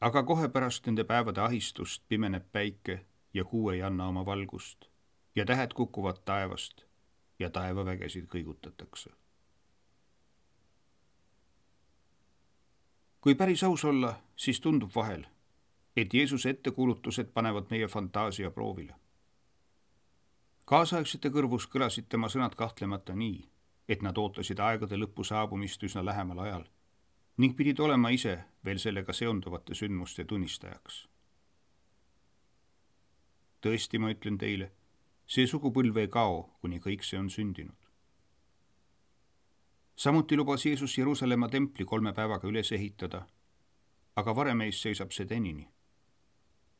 Aga kohe pärast nende päevade ahistust pimeneb päike ja kuu ei anna oma valgust ja tähed kukuvad taevast ja taevavägesid kõigutatakse. Kui päris aus olla, siis tundub vahel, et Jeesuse ettekuulutused panevad meie fantaasia proovile. Kaasaegsete kõrvus kõlasid tema sõnad kahtlemata nii, et nad ootasid aegade lõppu saabumist üsna lähemal ajal ning pidid olema ise veel sellega seonduvate sündmuste tunnistajaks. Tõesti, ma ütlen teile, see sugupõlv ei kao, kuni kõik see on sündinud. Samuti lubas Jeesus Jeruusalemma templi 3 päevaga üles ehitada, aga varem ees seisab see tänini.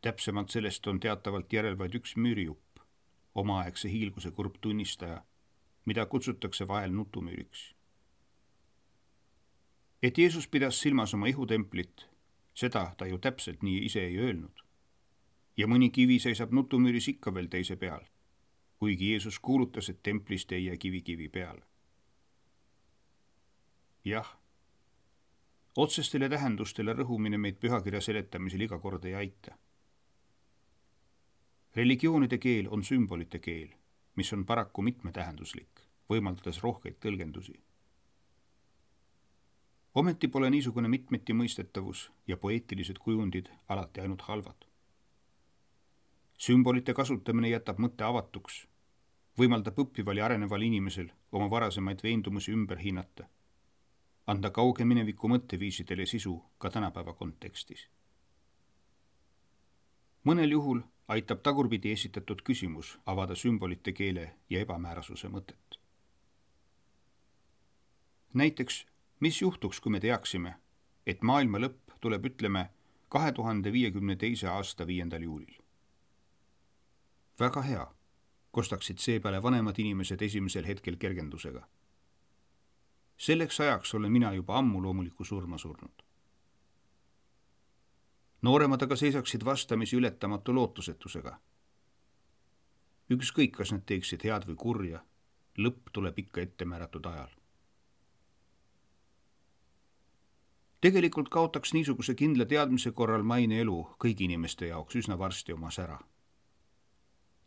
Täpsemalt sellest on teatavalt järel vaid üks müürijupp, omaaegse hiilguse kurb tunnistaja, mida kutsutakse vahel nutumüüriks. Et Jeesus pidas silmas oma ihutemplit, seda ta ju täpselt nii ise ei öelnud. Ja mõni kivi seisab nutumüüris ikka veel teise peal, kuigi Jeesus kuulutas, et templist ei jää kivi peale. Jah, otsestele tähendustele rõhumine meid pühakirja seletamisel iga kord ei aita. Religioonide keel on sümbolite keel, mis on paraku mitmetähenduslik, võimaldades rohkeid tõlgendusi. Ometi pole niisugune mitmeti mõistetavus ja poeetilised kujundid alati ainult halvad. Sümbolite kasutamine jätab mõtte avatuks, võimaldab õppival ja areneval inimesel oma varasemaid veendumusi ümber hinnata, anda kauge mineviku mõtteviisidele sisu ka tänapäeva kontekstis. Mõnel juhul aitab tagurpidi esitatud küsimus avada sümbolite keele ja ebamäärasuse mõtet. Näiteks, mis juhtuks, kui me teaksime, et maailma lõpp tuleb, ütleme, 2052. aasta 5. juulil? Väga hea, kostaksid seepeale vanemad inimesed esimesel hetkel kergendusega. Selleks ajaks olen mina juba ammu loomuliku surma surnud. Nooremad aga seisaksid vastamisi ületamatu lootusetusega. Ükskõik, kas nad teeksid head või kurja, lõpp tuleb ikka ette määratud ajal. Tegelikult kaotaks niisuguse kindla teadmise korral maine elu kõigi inimeste jaoks üsna varsti oma sära.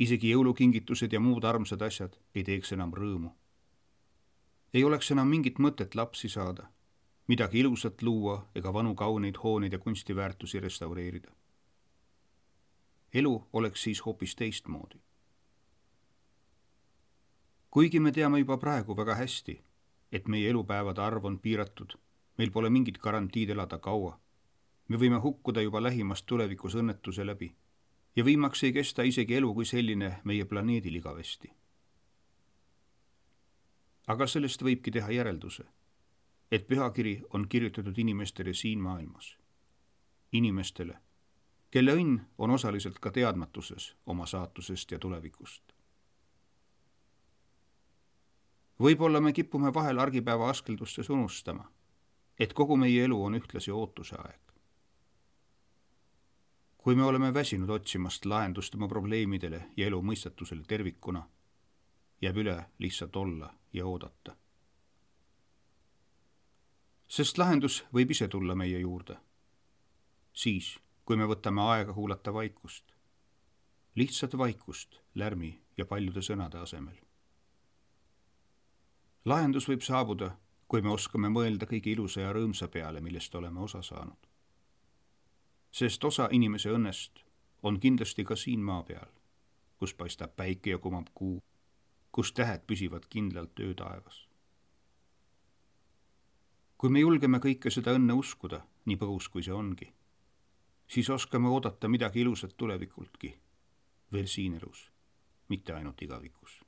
Isegi jõulukingitused ja muud armsad asjad ei teeks enam rõõmu. Ei oleks enam mingit mõtet lapsi saada, midagi ilusat luua ega vanu kauneid hooneid ja kunstiväärtusi restaureerida. Elu oleks siis hoopis teistmoodi. Kuigi me teame juba praegu väga hästi, et meie elupäevade arv on piiratud, meil pole mingit garantiid elada kaua. Me võime hukkuda juba lähimast tulevikus õnnetuse läbi ja viimaks ei kesta isegi elu kui selline meie planeedil igavesti. Aga sellest võibki teha järelduse, et pühakiri on kirjutatud inimestele siin maailmas. Inimestele, kelle õnn on osaliselt ka teadmatuses oma saatusest ja tulevikust. Võib-olla me kipume vahel argipäeva askeldustes unustama, et kogu meie elu on ühtlasi ootuse aeg. Kui me oleme väsinud otsimast lahendust oma probleemidele ja elu mõistatusele tervikuna, jääb üle lihtsalt olla ja oodata. Sest lahendus võib ise tulla meie juurde. Siis, kui me võtame aega kuulata vaikust. Lihtsalt vaikust lärmi ja paljude sõnade asemel. Lahendus võib saabuda, kui me oskame mõelda kõige ilusa ja rõõmsa peale, millest oleme osa saanud. Sest osa inimese õnnest on kindlasti ka siin maa peal, kus paistab päike ja kumab kuu, kus tähed püsivad kindlalt öötaevas. Kui me julgeme kõike seda õnne uskuda, nii põgus kui see ongi, siis oskame oodata midagi ilusat tulevikultki, veel siin elus, mitte ainult igavikus.